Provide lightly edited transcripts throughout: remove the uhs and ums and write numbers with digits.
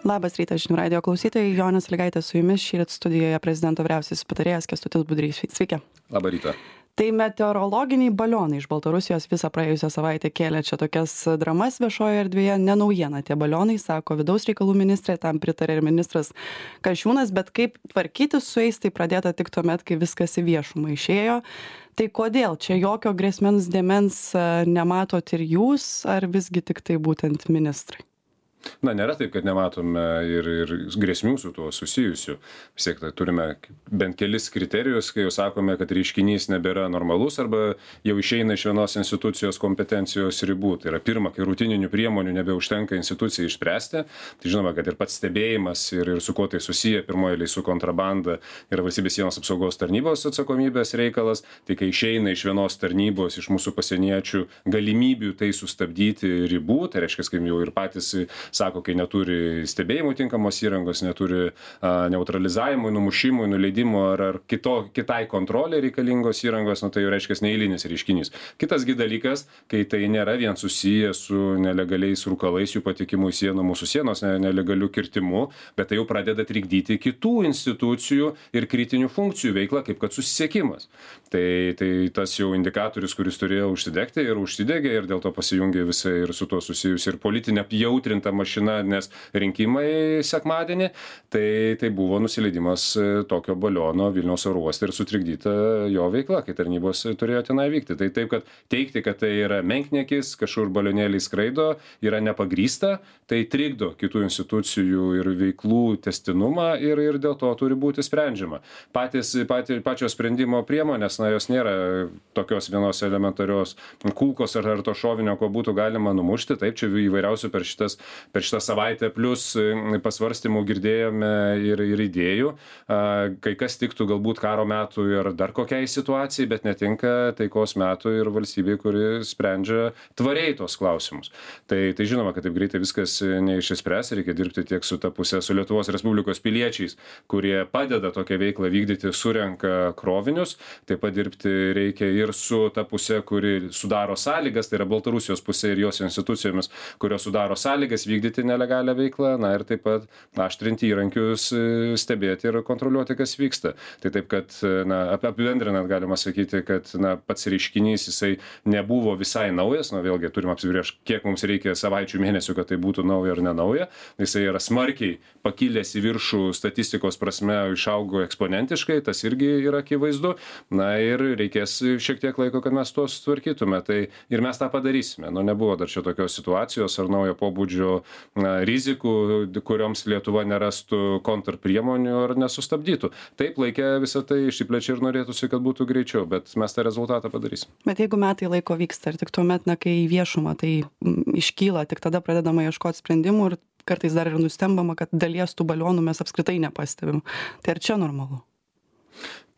Labas rytas, žinių radijo klausytojai. Jonė Sąlygaitė su jumis. Šįryt studijoje prezidento vyriausiasis patarėjas Kęstutis Budrys. Sveiki. Labą rytą. Tai meteorologiniai balionai iš Baltarusijos visą praėjusią savaitę kėlė čia tokias dramas viešoje erdvėje. Ne naujiena tie balionai, sako vidaus reikalų ministrė, tam pritarė ir ministras Kasčiūnas, bet kaip tvarkytis su jais, tai pradėta tik tuomet, kai viskas į viešumą išėjo. Tai kodėl čia jokio grėsmens dėmens nematot ir jūs, ar visgi tik tai būtent ministrai? Na, nėra taip, kad nematome ir grėsmių su tuo susijusių. Vis tiek tai turime bent kelis kriterijus, kai jau sakome, kad reiškinys nebėra normalus arba jau išeina iš vienos institucijos kompetencijos ribų. Tai yra pirma, kai rutininių priemonių nebeužtenka institucijai išspręsti. Tai žinoma, kad ir pats stebėjimas ir su kuo tai susiję, pirmoje eilėje su kontrabanda yra valstybės sienos apsaugos tarnybos atsakomybės reikalas. Tai kai išeina iš vienos tarnybos, iš mūsų pasieniečių galimybių tai sustabdyti ribų, tai reiškia, kaip jau ir patys sako, kai neturi stebėjimų tinkamos įrangos, neturi neutralizavimui, numušimui, nuleidimo ar kitai kontrolė reikalingos įrangos, tai jau reiškia neeilinis reiškinys. Kitasgi dalykas, kai tai nėra vien susiję su nelegaliais rūkalais, jų patikimu į sieną, mūsų sienos nelegalių kirtimų, bet tai jau pradeda trikdyti kitų institucijų ir kritinių funkcijų veiklą, kaip kad susisiekimas. Tai tas jau indikatorius, kuris turėjo užsidegti ir užsidegė ir dėl to pasijungė visai ir su tuo susijusi ir politinė apjautrinta mašina, nes rinkimai sekmadienį, tai buvo nusileidimas tokio baliono Vilniaus oro uoste ir sutrikdyta jo veikla, kai tarnybos turėjo tenai vykti. Tai taip, kad teigti, kad tai yra menkniekis, kažkur balionėliai skraido, yra nepagrįsta, tai trikdo kitų institucijų ir veiklų tęstinumą ir dėl to turi būti sprendžiama. Pačios sprendimo priemonės, jos nėra tokios vienos elementarios kulkos ar to šovinio, ko būtų galima numušti. Taip, čia įvairiausių per šitą savaitę plus pasvarstymų girdėjome ir idėjų. Kai kas tiktų galbūt karo metų ir dar kokiai situacijai, bet netinka taikos metų ir valstybei, kuri sprendžia tvariai tos klausimus. Tai žinoma, kad taip greitai viskas neišspręs, reikia dirbti tiek su ta pusė, su Lietuvos Respublikos piliečiais, kurie padeda tokią veiklą vykdyti, surenka krovinius, taip pat dirbti reikia ir su ta pusė, kuri sudaro sąlygas, tai yra Baltarusijos pusė ir jos institucijomis, kurios sudaro sąlygas vykdyti nelegalią veiklą, ir taip pat aštrinti įrankius, stebėti ir kontroliuoti, kas vyksta. Tai taip, kad apibendrinant galima sakyti, kad pats reiškinys jisai nebuvo visai naujas, vėlgi turim apsibrėžti, kiek mums reikia savaičių, mėnesių, kad tai būtų nauja ar nenauja. Jisai yra smarkiai pakilęs į viršų statistikos prasme, išaugo eksponentiškai, tas irgi yra akivaizdu. Ir reikės šiek tiek laiko, kad mes tuos tvarkytume. Tai ir mes tą padarysime. Nebuvo dar čia tokios situacijos ar naujo pobūdžio rizikų, kurioms Lietuva nerastų kontrpriemonių ar nesustabdytų. Taip, laikė visą tai išsiplečia ir norėtųsi, kad būtų greičiau, bet mes tą rezultatą padarysim. Bet jeigu metai laiko vyksta ir tik tuomet, kai į viešumą tai iškyla, tik tada pradedama ieškoti sprendimų ir kartais dar ir nustembama, kad dalies tų balionų mes apskritai nepastebim. Tai ar čia normalu?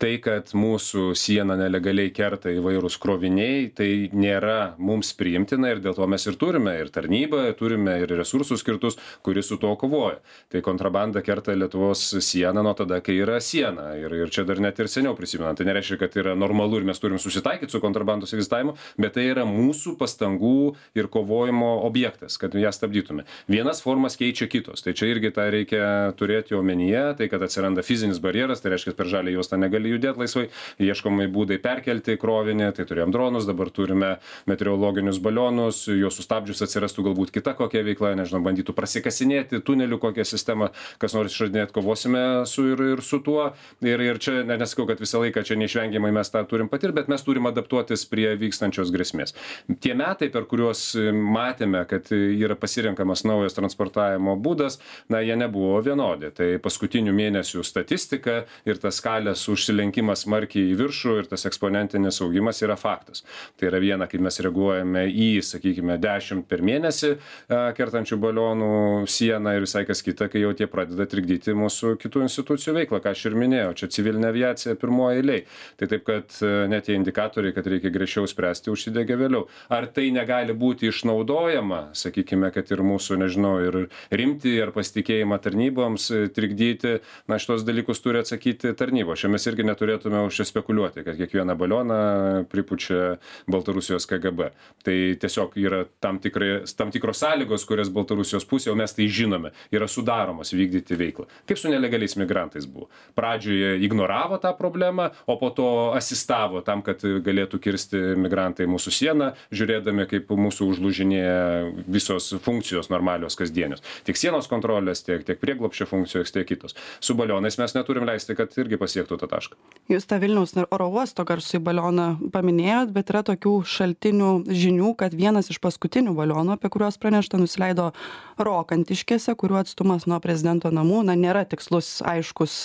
Tai, kad mūsų sieną nelegaliai kerta įvairūs kroviniai, tai nėra mums priimtina ir dėl to mes ir turime ir tarnybą, turime ir resursus skirtus, kuris su to kovoja. Tai kontrabanda kerta Lietuvos sieną nuo tada, kai yra siena. Ir čia dar net ir seniau prisimenant. Tai nereiškia, kad yra normalu ir mes turim susitaikyti su kontrabandos egzistavimu, bet tai yra mūsų pastangų ir kovojimo objektas, kad ją stabdytume. Vienas formas keičia kitos. Tai čia irgi tą reikia turėti omenyje, tai kad atsiranda fizinis barjeras, tai reiškia, per žalią juostą negali judėti laisvai, ieškomai būdai perkelti krovinį, tai turėjom dronus, dabar turime meteorologinius balionus, juos sustabdžius atsirastų galbūt kita kokia veikla, nežinau, bandytų prasikasinėti tunelių kokią sistemą, kas nors išradinėti, kovosime ir su tuo. Ir čia nesakau, kad visą laiką čia neišvengiamai mes tą turim patirti, bet mes turim adaptuotis prie vykstančios grėsmės. Tie metai, per kuriuos matėme, kad yra pasirenkamas naujas transportavimo būdas, jie nebuvo vienodi. Tai paskutinių mėnesių statistika ir tas skalės užsilenkimas smarkiai į viršų ir tas eksponentinis augimas yra faktas. Tai yra viena, kaip mes reaguojame į, sakykime, 10 per mėnesį kertančių balionų sieną ir visai kas kita, kai jau tie pradeda trikdyti mūsų kitų institucijų veiklą, ką aš ir minėjau, čia civilinė aviacija pirmoje eilėje. Tai taip, kad net tie indikatoriai, kad reikia greičiau spręsti, užsidegė vėliau. Ar tai negali būti išnaudojama, sakykime, kad ir mūsų, nežinau, ir rimti ar pasitikėjimą tarnyboms trikdyti, šitos dalykus turi atsakyti tarnybos. Čia mes irgi irgi neturėtume užsispekuliuoti, kad kiekvieną balioną pripučia Baltarusijos KGB. Tai tiesiog yra tam tikros sąlygos, kurias Baltarusijos pusė, o mes tai žinome, yra sudaromos vykdyti veiklą. Kaip su nelegaliais migrantais buvo. Pradžioje ignoravo tą problemą, o po to asistavo tam, kad galėtų kirsti migrantai mūsų sieną, žiūrėdami, kaip mūsų užlūžinėja visos funkcijos normalios kasdienios. Tiek sienos kontrolės, tiek prieglobsčio funkcijos, tiek kitos. Su balionais mes neturim leisti, kad irgi pasiektų tą tašką. Jūs tą Vilniaus oro uosto garsųjį balioną paminėjot, bet yra tokių šaltinių žinių, kad vienas iš paskutinių balionų, apie kuriuos pranešta, nusileido Rokantiškėse, kurių atstumas nuo prezidento namų, nėra tikslus, aiškus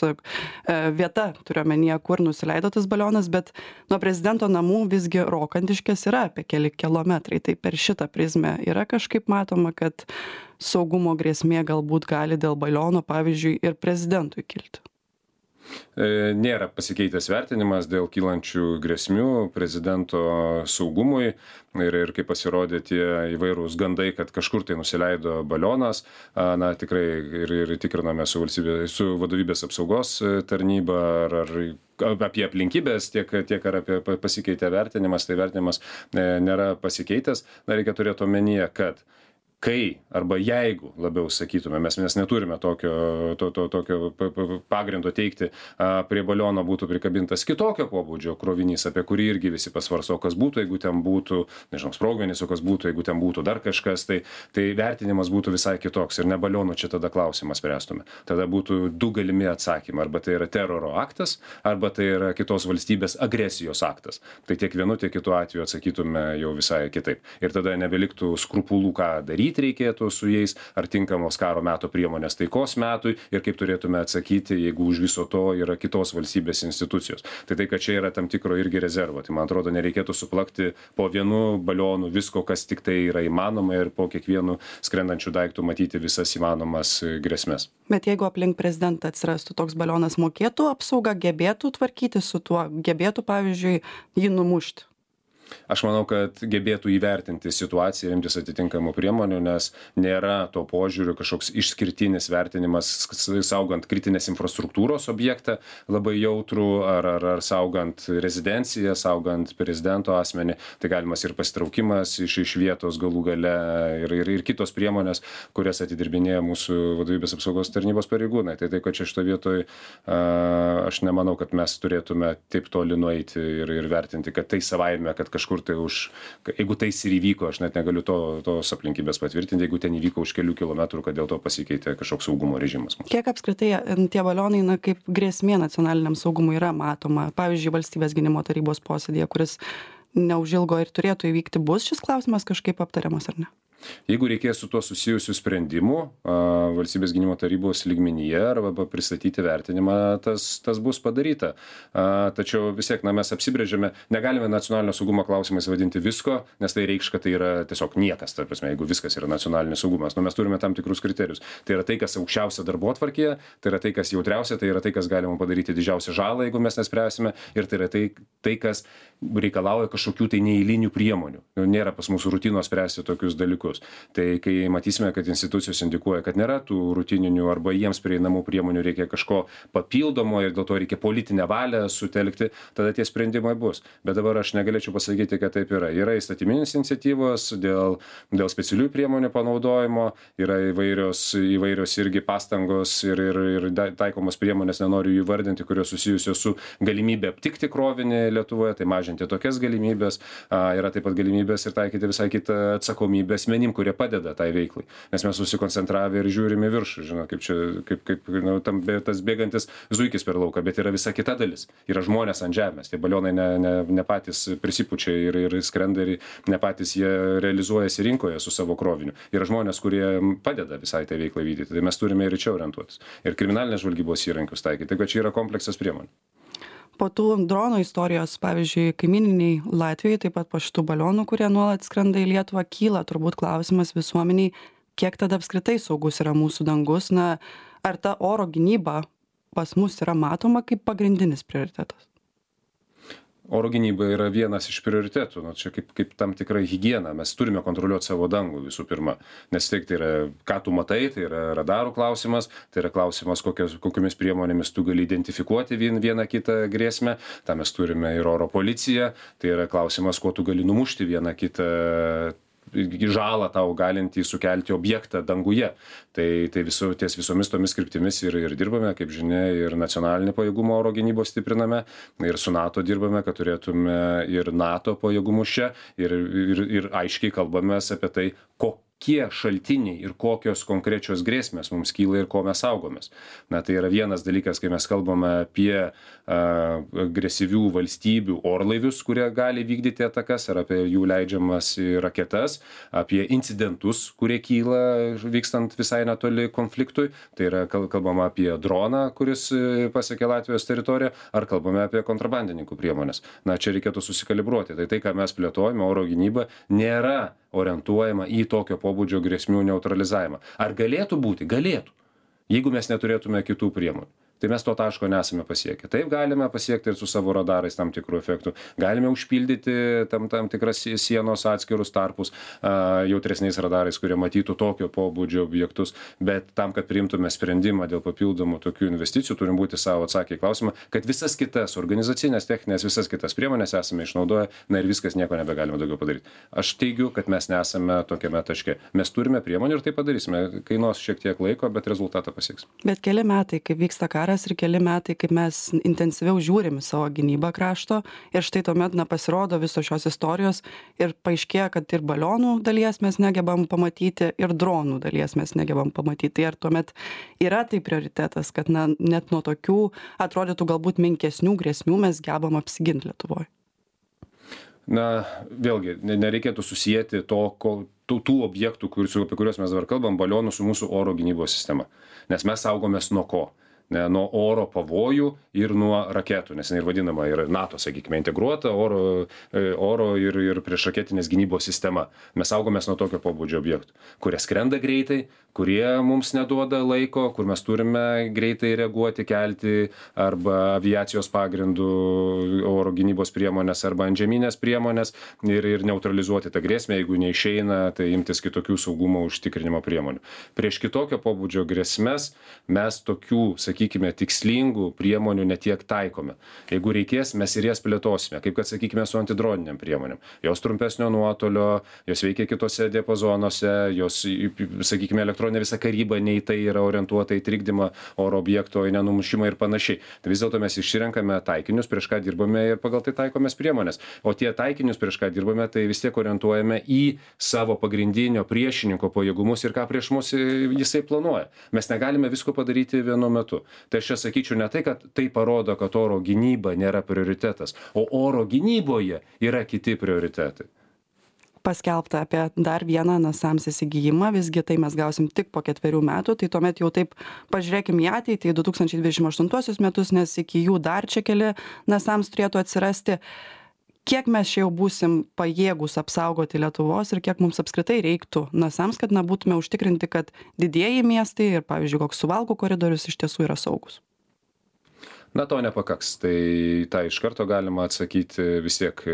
vieta, turiu omenyje, kur nusileido tas balionas, bet nuo prezidento namų visgi Rokantiškės yra apie keli kilometrai. Tai per šitą prizmę yra kažkaip matoma, kad saugumo grėsmė galbūt gali dėl baliono, pavyzdžiui, ir prezidentui kilti. Nėra pasikeitęs vertinimas dėl kylančių grėsmių prezidento saugumui ir kaip pasirodė tie įvairūs gandai, kad kažkur tai nusileido balionas, na tikrai ir tikriname su vadovybės apsaugos tarnyba ar apie aplinkybės, tiek ar apie pasikeitę vertinimas, tai vertinimas nėra pasikeitęs. Na, reikia turėti omenyje, kad kai arba jeigu labiau sakytume, mes neturime tokio pagrindo teikti, prie baliono būtų prikabintas kitokio pobūdžio krovinys, apie kurį irgi visi pasvarsto, kas būtų, jeigu ten būtų, nežinau, sprogmenys, o kas būtų, jeigu ten būtų dar kažkas, tai vertinimas būtų visai kitoks ir ne balionų čia tada klausimas spręstume. Tada būtų du galimi atsakymai, arba tai yra teroro aktas, arba tai yra kitos valstybės agresijos aktas. Tai tiek vienu, tiek kitu atveju atsakytume jau visai kitaip. Ir tada nebeliktų skrupulų, ką daryti reikėtų su jais, ar tinkamos karo meto priemonės taikos metui ir kaip turėtume atsakyti, jeigu už viso to yra kitos valstybės institucijos. Tai kad čia yra tam tikro irgi rezervo. Tai man atrodo, nereikėtų suplakti po vienu balionu visko, kas tik tai yra įmanoma ir po kiekvienu skrendančių daiktų matyti visas įmanomas grėsmes. Bet jeigu aplink prezidentą atsirastų toks balionas, mokėtų apsauga, gebėtų tvarkyti su tuo, gebėtų, pavyzdžiui, jį numušti? Aš manau, kad gebėtų įvertinti situaciją ir imtis atitinkamų priemonių, nes nėra to požiūriu kažkoks išskirtinis vertinimas saugant kritinės infrastruktūros objektą labai jautrų ar saugant rezidenciją, saugant prezidento asmenį. Tai galimas ir pasitraukimas iš vietos galų gale ir kitos priemonės, kurias atidirbinėja mūsų vadovybės apsaugos tarnybos pareigūnai. Tai kad čia šito vietoj aš nemanau, kad mes turėtume taip toli nueiti ir vertinti, kad tai savaime, kad kažkur tai jeigu tai ir įvyko, aš net negaliu tos aplinkybės patvirtinti, jeigu ten įvyko už kelių kilometrų, kad dėl to pasikeitė kažkoks saugumo režimas. Kiek apskritai tie balionai, kaip grėsmė nacionaliniam saugumui yra matoma? Pavyzdžiui, Valstybės gynimo tarybos posėdėje, kuris neužilgo ir turėtų įvykti, bus šis klausimas kažkaip aptariamas ar ne? Jeigu reikės su tuo susijusių sprendimų Valstybės gynimo tarybos lygmenyje arba pristatyti vertinimą, tas bus padaryta. Tačiau vis tiek mes apsibrėžėme, negalime nacionalinio saugumo klausimais vadinti visko, nes tai reikš, kad tai yra tiesiog niekas, ta prasme, jeigu viskas yra nacionalinis saugumas. Mes turime tam tikrus kriterijus. Tai yra tai, kas aukščiausia darbotvarkėje, tai yra tai, kas jautriausia, tai yra tai, kas galima padaryti didžiausią žalą, jeigu mes nespręsime, ir tai yra tai, kas reikalauja kažkokių tai neeilinių priemonių. Nėra pas mūsų rutinos spręsti tokius dalykus. Tai kai matysime, kad institucijos indikuoja, kad nėra tų rutininių arba jiems prieinamų priemonių, reikia kažko papildomo ir dėl to reikia politinę valią sutelkti, tada tie sprendimai bus. Bet dabar aš negalėčiau pasakyti, kad taip yra. Yra įstatyminės iniciatyvos dėl specialiųjų priemonių panaudojimo, yra įvairios irgi pastangos ir taikomos priemonės, nenoriu jų vardinti, kurios susijusios su galimybė aptikti krovinį Lietuvoje, tai mažinti tokias galimybės. Yra taip pat galimybės ir taikyti visai kitą atsakomybę asmenim, kurie padeda tai veiklai. Nes mes susikoncentravę ir žiūrime viršų, kaip tas bėgantis zuikis per lauką, bet yra visa kita dalis. Yra žmonės ant žemės. Tie balionai ne patys prisipučia ir skrenda ir ne patys jie realizuojasi rinkoje su savo kroviniu. Yra žmonės, kurie padeda visai tai veiklai vykdyti. Tai mes turime ir čia orientuotis. Ir kriminalinės žvalgybos įrankius taikyti. Tai čia yra kompleksas priemonių. Po tų dronų istorijos, pavyzdžiui, kaimyniniai Latvijai, taip pat po šitų balionų, kurie nuolat skrenda į Lietuvą, kyla turbūt klausimas visuomeniai, kiek tada apskritai saugus yra mūsų dangus, ar ta oro gynyba pas mus yra matoma kaip pagrindinis prioritetas? Oro gynyba yra vienas iš prioritetų, nu, čia kaip tam tikra higiena, mes turime kontroliuoti savo dangų visų pirma, nes tai yra, ką tu matai, tai yra radarų klausimas, tai yra klausimas, kokiomis priemonėmis tu gali identifikuoti vieną kitą grėsmę, tam mes turime ir oro policiją, tai yra klausimas, kuo tu gali numušti vieną kitą žalą tau galintį sukelti objektą danguje. Tai ties visomis tomis kryptimis ir dirbame, kaip žinia, ir nacionalinį pajėgumą oro gynybos stipriname, ir su NATO dirbame, kad turėtume ir NATO pajėgumus čia, ir aiškiai kalbamės apie tai, kokie šaltiniai ir kokios konkrečios grėsmės mums kyla ir ko mes saugomės. Na, tai yra vienas dalykas, kai mes kalbame apie agresyvių valstybių orlaivius, kurie gali vykdyti atakas, ar apie jų leidžiamas raketas, apie incidentus, kurie kyla vykstant visai netoli konfliktui. Tai yra kalbama apie droną, kuris pasiekė Latvijos teritoriją, ar kalbame apie kontrabandininkų priemonės. Na, čia reikėtų susikalibruoti. Tai, ką mes plėtojame, oro gynyba, nėra orientuojama į tokio pobūdžio grėsmių neutralizavimą. Ar galėtų būti? Galėtų, jeigu mes neturėtume kitų priemonių. Tai mes to taško nesame pasiekę. Taip galime pasiekti ir su savo radarais tam tikrų efektų. Galime užpildyti tam tikras sienos atskirus tarpus jautresniais radarais, kurie matytų tokio pobūdžio objektus. Bet tam, kad priimtume sprendimą dėl papildomų tokių investicijų, turim būti savo atsakę į klausimą, kad visas kitas organizacinės, techninės, visas kitas priemonės esame išnaudoję, na ir viskas, nieko nebegalime daugiau padaryti. Aš teigiu, kad mes nesame tokiame taške. Mes turime priemonių ir tai padarysime. Kainuos šiek tiek laiko, bet rezultatą pasieks. Bet keli metai, kaip vyksta karas ir keli metai, kaip mes intensyviau žiūrim į savo gynybą krašto ir štai tuomet pasirodo visos šios istorijos ir paaiškėja, kad ir balionų dalies mes negebam pamatyti ir dronų dalies mes negebam pamatyti. Ir tuomet yra tai prioritetas, kad net nuo tokių atrodytų galbūt menkesnių grėsmių mes gebam apsiginti Lietuvoje. Na, vėlgi, nereikėtų susijęti tų objektų, apie kuriuos mes dabar kalbam, balionų su mūsų oro gynybos sistema. Nes mes saugomės nuo ko? Nuo oro pavojų ir nuo raketų, nes ir vadinama yra NATO, sakykime, integruota oro ir priešraketinės gynybos sistema. Mes saugomės nuo tokio pobūdžio objektų, kurie skrenda greitai, kurie mums neduoda laiko, kur mes turime greitai reaguoti, kelti arba aviacijos pagrindų oro gynybos priemonės arba antžeminės priemonės ir neutralizuoti tą grėsmę, jeigu neišeina, tai imtis kitokių saugumo užtikrinimo priemonių. Prieš kitokio pobūdžio grėsmes mes tokių, sakykime, tikslingų priemonių netiek taikome. Jeigu reikės, mes ir jas plėtosime, kaip kad, sakykime, su antidroniniam priemonėm. Jos trumpesnio nuotolio, jos veikia kitose diapazonuose, jos, sakykime, elektroninė visa karyba nei tai yra orientuota į trikdymą oro objekto, į nenumušimą ir panašiai. Tai vis dėlto mes išsirenkame taikinius, prieš ką dirbame ir pagal tai taikomės priemonės. O tie taikinius, prieš ką dirbame, tai vis tiek orientuojame į savo pagrindinio priešininko pajėgumus ir ką prieš mus jisai planuoja. Mes negalime visko padaryti vienu metu. Tai aš čia sakyčiau ne tai, kad tai parodo, kad oro gynyba nėra prioritetas, o oro gynyboje yra kiti prioritetai. Paskelbta apie dar vieną NASAMS įsigijimą, visgi tai mes gausim tik po 4 metų, tai tuomet jau taip pažiūrėkim į ateitį, 2028 metus, nes iki jų dar čia keli NASAMS turėtų atsirasti. Kiek mes čia jau būsim pajėgus apsaugoti Lietuvos ir kiek mums apskritai reiktų NASAMS, kad būtume užtikrinti, kad didieji miestai ir, pavyzdžiui, koks Suvalkų koridorius iš tiesų yra saugus? Na, to nepakaks. Tai tą iš karto galima atsakyti vis tiek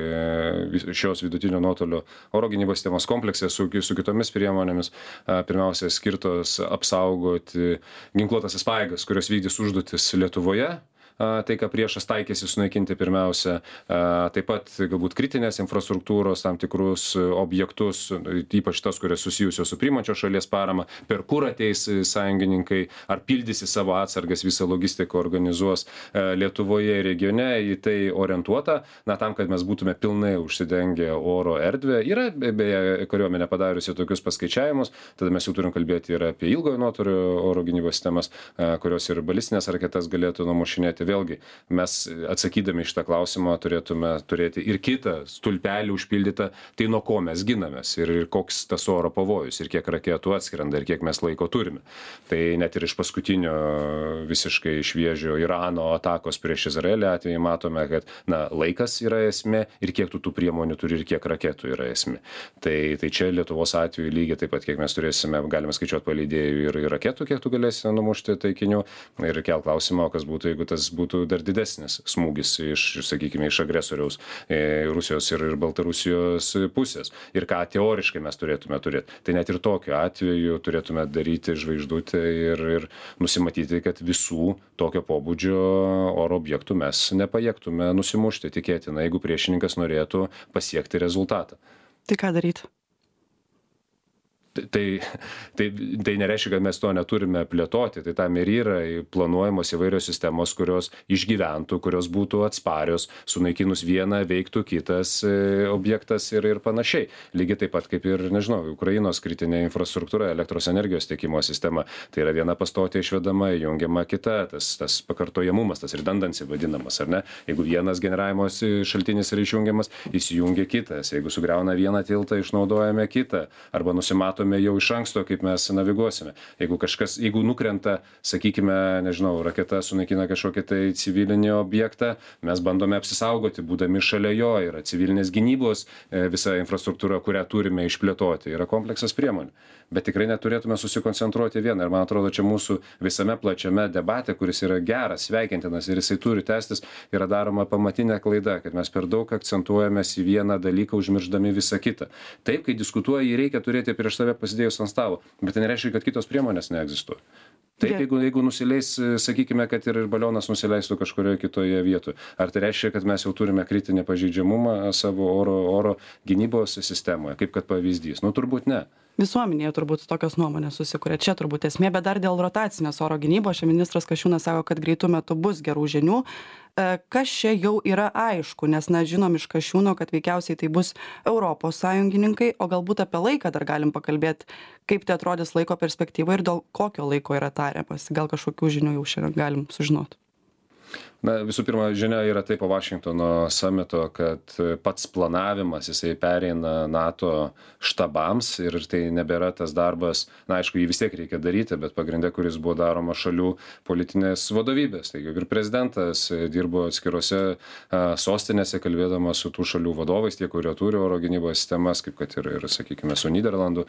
šios vidutinio nuotolio oro gynybos sistemos komplekse su kitomis priemonėmis, pirmiausia, skirtos apsaugoti ginkluotąsias pajėgas, kurios vykdys užduotis Lietuvoje. Tai, ką priešas taikėsi sunaikinti pirmiausia, taip pat galbūt kritinės infrastruktūros, tam tikrus objektus, ypač tas, kurios susijusios su priimančios šalies parama, per kur ateis sąjungininkai, ar pildysi savo atsargas, visą logistiką organizuos Lietuvoje ir regione, į tai orientuota, tam, kad mes būtume pilnai užsidengę oro erdvę. Yra beje kariuomenė padariusi tokius paskaičiavimus, tada mes jau turim kalbėti ir apie ilgojo nuotolio oro gynybos sistemas, kurios ir balistinės raketas galėtų numušinėti. Vėlgi, mes atsakydami šitą klausimą turėtume turėti ir kitą stulpelį užpildytą, tai nuo ko mes ginamės ir koks tas oro pavojus ir kiek raketų atskrenda ir kiek mes laiko turime. Tai net ir iš paskutinio visiškai šviežio Irano atakos prieš Izraelį atveju matome, kad laikas yra esmė ir kiek tų priemonių turi ir kiek raketų yra esmė. Tai čia Lietuvos atveju lygiai taip pat, kiek mes turėsime, galime skaičiuoti paleidėjų ir raketų, kiek tu galėsi numušti taikinių ir kelt klausimą, kas būtų, jeigu tas būtų dar didesnis smūgis sakykime, iš agresoriaus Rusijos ir Baltarusijos pusės. Ir ką teoriškai mes turėtume turėti. Tai net ir tokiu atveju turėtume daryti žvaigždutę ir nusimatyti, kad visų tokio pobūdžio oro objektų mes nepajėgtume nusimušti, tikėtina, jeigu priešininkas norėtų pasiekti rezultatą. Tai ką daryti? Tai nereiškia, kad mes to neturime plėtoti. Tai tam ir yra planuojamos įvairios sistemos, kurios išgyventų, kurios būtų atsparios, sunaikinus vieną veiktų kitas objektas ir panašiai. Lygiai taip pat kaip ir, nežinau, Ukrainos kritinė infrastruktūra, elektros energijos tiekimo sistema. Tai yra viena pastotė išvedama, jungiama kita, tas pakartojamumas, tas redundancy vadinamas, ar ne? Jeigu vienas generavimo šaltinis yra išjungiamas, įsijungia kitas. Jeigu sugriauna vieną tiltą, išnaudojame kitą. Arba nusimatome jau iš anksto, kaip mes naviguosime. Jeigu nukrenta, sakykime, nežinau, raketa sunaikina kažkokį tai civilinį objektą, mes bandome apsisaugoti, būdami šalia jo, yra civilinės gynybos visa infrastruktūra, kurią turime išplėtoti, yra kompleksas priemonių. Bet tikrai neturėtume susikoncentruoti vieną. Ir man atrodo, čia mūsų visame plačiame debate, kuris yra geras, sveikintinas ir jisai turi tęstis, yra daroma pamatinė klaida, kad mes per daug akcentuojamės į vieną dalyką, užmirždami visą kitą. Taip, kai diskutuoji, jį reikia turėti prieš save pasidėjus ant stalo, bet tai nereiškia, kad kitos priemonės neegzistuoja. Taip, jeigu nusileis, sakykime, kad ir balionas nusileistų kažkurioje kitoje vietoje. Ar tai reiškia, kad mes jau turime kritinį pažeidžiamumą savo oro gynybos sistemoje, kaip kad pavyzdys? Turbūt ne. Visuomenėje turbūt tokios nuomonės susikuria. Čia turbūt esmė, bet dar dėl rotacinės oro gynybos. Čia ministras Kasčiūnas sako, kad greitų metų bus gerų žinių. Kas čia jau yra aišku, nes žinom iš Kasčiūno, kad veikiausiai tai bus Europos sąjungininkai, o galbūt apie laiką dar galim pakalbėti, kaip tai atrodys laiko perspektyva ir dėl kokio laiko yra tariamas. Gal kažkokių žinių jau šiandien galim sužinoti. Visų pirma, žinia yra taip po Vašingtono samito, kad pats planavimas, jisai pereina NATO štabams ir tai nebėra tas darbas, aišku, jį vis tiek reikia daryti, bet pagrindė, kuris buvo daroma šalių politinės vadovybės. Taigi ir prezidentas dirbo atskirose sostinėse, kalbėdamas su tų šalių vadovais, tie, kurie turi oro gynybos sistemas, kaip kad ir sakykime, su Nyderlandų,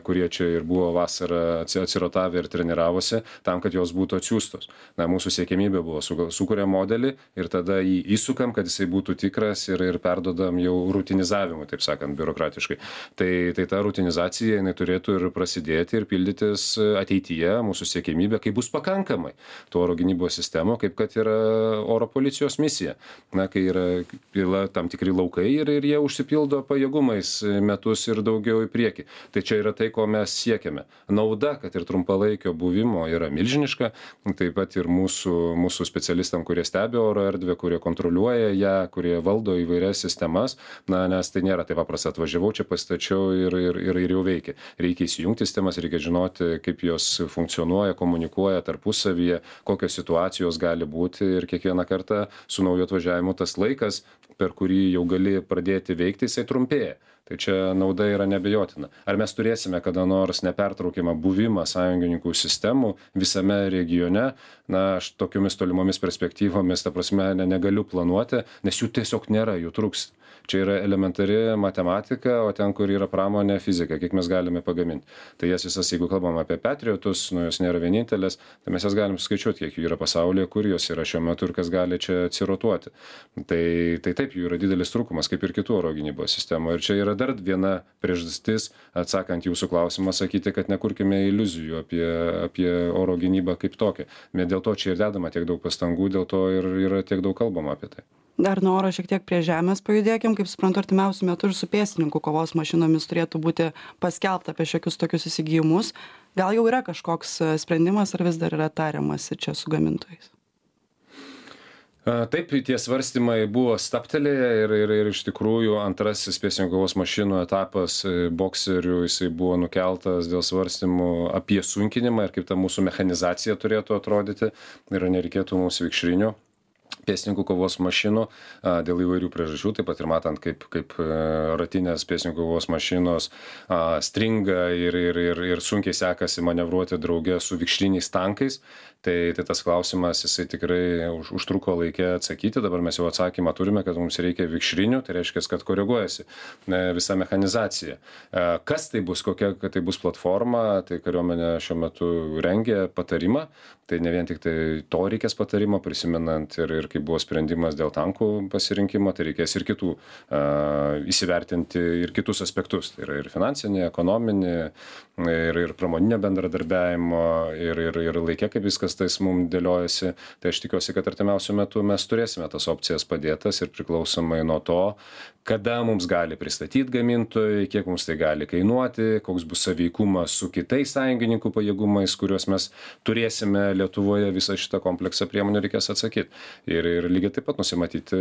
kurie čia ir buvo vasarą atsirotavę ir treniravosi, tam, kad jos būtų atsiųstos. Mūsų siekimybė buvo sukūrėm modelį ir tada jį įsukam, kad jisai būtų tikras ir perdodam jau rutinizavimui, taip sakant, biurokratiškai. Tai ta rutinizacija, jinai turėtų ir prasidėti ir pildytis ateityje, mūsų siekimybė, kai bus pakankamai tų oro gynybos sistemų, kaip kad yra oro policijos misija. Kai yra tam tikri laukai ir jie užsipildo pajėgumais metus ir daugiau į priekį. Tai čia yra tai, ko mes siekiame. Nauda, kad ir trumpalaikio buvimo yra milžiniška, taip pat ir mūsų specialistam, kurie stebi oro erdvę, kurie kontroliuoja ją, kurie valdo įvairias sistemas, nes tai nėra taip paprasta, atvažiavau čia, pastačiau ir jau veikia. Reikia įsijungti sistemas, reikia žinoti, kaip jos funkcionuoja, komunikuoja tarpusavyje, kokios situacijos gali būti ir kiekvieną kartą su nauju atvažiavimu tas laikas, per kurį jau gali pradėti veikti, jisai trumpėja. Tai čia nauda yra neabejotina. Ar mes turėsime kada nors nepertraukiamą buvimą sąjungininkų sistemų visame regione? Aš tokiomis tolimomis perspektyvomis, ta prasme, negaliu planuoti, nes jų tiesiog nėra, jų trūksta. Čia yra elementari matematika, o ten, kur yra pramonė, fizika, kiek mes galime pagaminti. Tai jas visas, jeigu kalbam apie Patriotus, jos nėra vienintelės, tai mes jas galim skaičiuoti, kiek jų yra pasaulyje, kur jos yra šiuo metu ir kas gali čia atsirotuoti. Tai taip, jų yra didelis trūkumas, kaip ir kitų oro gynybos sistemų. Ir čia yra dar viena priežastis, atsakant jūsų klausimą, sakyti, kad nekurkime iliuzijų apie oro gynybą kaip tokią. Bet dėl to čia ir dedama tiek daug pastangų, dėl to ir yra tiek daug kalbama apie tai. Dar nuo oro šiek tiek prie žemės pajudėkim, kaip suprantu, artimiausiu metu ir su pėstininkų kovos mašinomis turėtų būti paskelbta apie šiokius tokius įsigijimus. Gal jau yra kažkoks sprendimas, ar vis dar yra tariamasi čia su gamintojais? Taip, tie svarstymai buvo stabtelėję ir iš tikrųjų antrasis pėstininkų kovos mašinų etapas bokserių, jisai buvo nukeltas dėl svarstymų apie sunkinimą ir kaip ta mūsų mechanizacija turėtų atrodyti ir nereikėtų mums vikšrinių. pėstininkų kovos mašinų dėl įvairių priežasčių, taip pat ir matant, kaip ratinės pėstininkų kovos mašinos stringa ir sunkiai sekasi manevruoti drauge su vikšriniais tankais. Tai tas klausimas, jisai tikrai užtruko laikė atsakyti, dabar mes jau atsakymą turime, kad mums reikia vikšrinių, tai reiškia, kad koreguojasi visa mechanizacija. Kas tai bus, kokia tai bus platforma, tai kariuomenė šiuo metu rengia patarimą, tai ne vien tik tai to reikės patarimo, prisimenant ir kaip buvo sprendimas dėl tankų pasirinkimo, tai reikės ir kitų įsivertinti ir kitus aspektus, tai yra ir finansinė, ekonominė, ir pramoninio bendradarbiavimo, ir laikė, kaip viskas tais mums dėliojasi, tai aš tikiuosi, kad artimiausiu metu mes turėsime tas opcijas padėtas ir priklausomai nuo to, kada mums gali pristatyti gamintojai, kiek mums tai gali kainuoti, koks bus sąveikumas su kitais sąjungininkų pajėgumais, kuriuos mes turėsime Lietuvoje, visą šitą kompleksą priemonių reikės atsakyti. Ir lygiai taip pat nusimatyti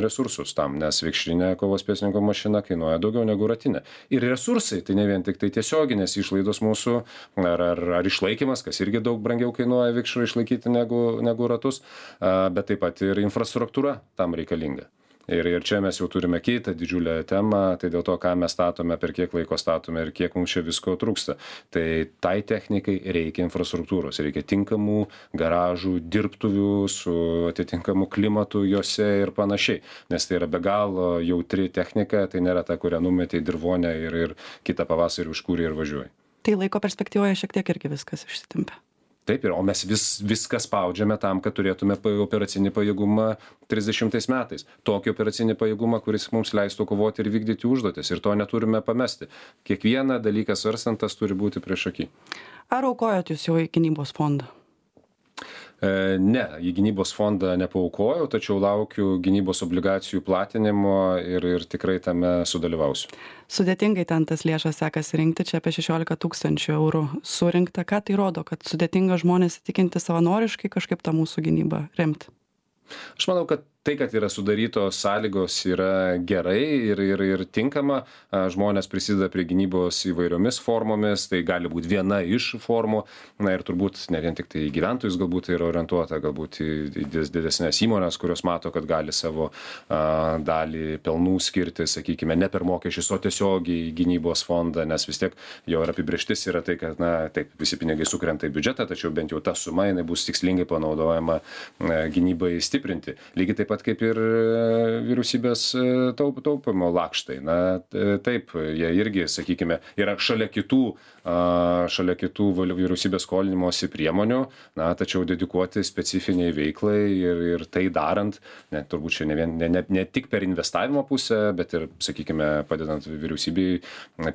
resursus tam, nes vikšrinė kovos pėstininko mašina kainuoja daugiau negu ratinė. Ir resursai, tai ne vien tik tai tiesioginės išlaidos mūsų, ar išlaikymas, kas irgi daug brangiau kainuoja vikšrų išlaikyti negu ratus, bet taip pat ir infrastruktūra tam reikalinga. Ir čia mes jau turime kitą didžiulę temą, tai dėl to, ką mes statome, per kiek laiko statome ir kiek mums čia visko trūksta. Tai technikai reikia infrastruktūros, reikia tinkamų garažų, dirbtuvių su atitinkamu klimatu juose ir panašiai. Nes tai yra be galo jautri technika, tai nėra ta, kurią numetė į dirvonę ir kitą pavasarį užkūrė ir važiuoja. Tai laiko perspektyvoje šiek tiek irgi viskas išsitempia. Taip, o mes viską spaudžiame tam, kad turėtume operacinį pajėgumą 30 metais. Tokį operacinį pajėgumą, kuris mums leistų kovoti ir vykdyti užduotis. Ir to neturime pamesti. Kiekvieną dalyką svarstant, tas turi būti priešaky. Ar aukojot jūs jau į gynybos fondą? Ne, į gynybos fondą nepaaukojau, tačiau laukiu gynybos obligacijų platinimo ir tikrai tame sudalyvausiu. Sudėtingai ten tas lėšas sekasi rinkti, čia apie 16 000 eurų surinkta. Ką tai rodo, kad sudėtinga žmonės įtikinti savanoriškai kažkaip tą mūsų gynybą remti? Aš manau, kad tai, kad yra sudarytos sąlygos, yra gerai ir tinkama. Žmonės prisideda prie gynybos įvairiomis formomis, tai gali būti viena iš formų. Na ir turbūt ne vien tik tai gyventojus galbūt yra orientuota, galbūt į didesnės įmonės, kurios mato, kad gali savo dalį pelnų skirti, sakykime, ne per mokesčius, o tiesiogiai į gynybos fondą, nes vis tiek jo ir apibrėžtis yra tai, kad, taip, visi pinigai sukrenta į biudžetą, tačiau bent jau ta suma, jinai bus tikslingai panaudojama gynybai stiprinti. Lygiai taip pat kaip ir vyriausybės taupimo lakštai. Taip, jie irgi, sakykime, yra šalia kitų vyriausybės skolinimosi priemonių, tačiau dedikuoti specifiniai veiklai ir tai darant, turbūt čia ne tik per investavimo pusę, bet ir, sakykime, padedant vyriausybei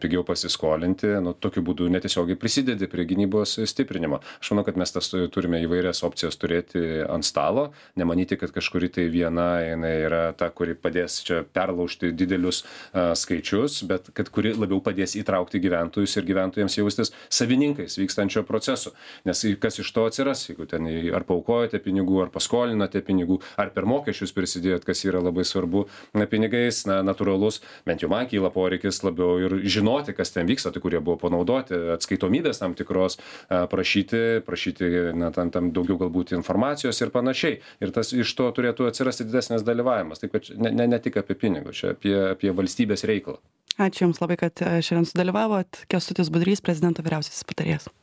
pigiau pasiskolinti, tokiu būdu netiesiogiai prisidedi prie gynybos stiprinimo. Aš manau, kad mes turime įvairias opcijas turėti ant stalo, nemanyti, kad kažkuri tai viena jinai yra ta, kuri padės čia perlaužti didelius skaičius, bet kad kuri labiau padės įtraukti gyventojus ir gyventojams jaustis savininkais vykstančio proceso. Nes kas iš to atsiras, jeigu ten ar paaukojate pinigų, ar paskolinote pinigų, ar per mokesčius prisidėjot, kas yra labai svarbu pinigais, natūralus, bent jau man kyla poreikis labiau ir žinoti, kas ten vyksta, tai kurie buvo panaudoti, atskaitomybės tam tikros, prašyti tam daugiau galbūt informacijos ir panašiai. Ir tas iš to turėtų atsirasti didesnis dalyvavimas. Taip, kad ne tik apie pinigus, čia apie valstybės reikalą. Ačiū Jums labai, kad šiandien sudalyvavot. Kęstutis Budrys, prezidento vyriausiasis patarėjas.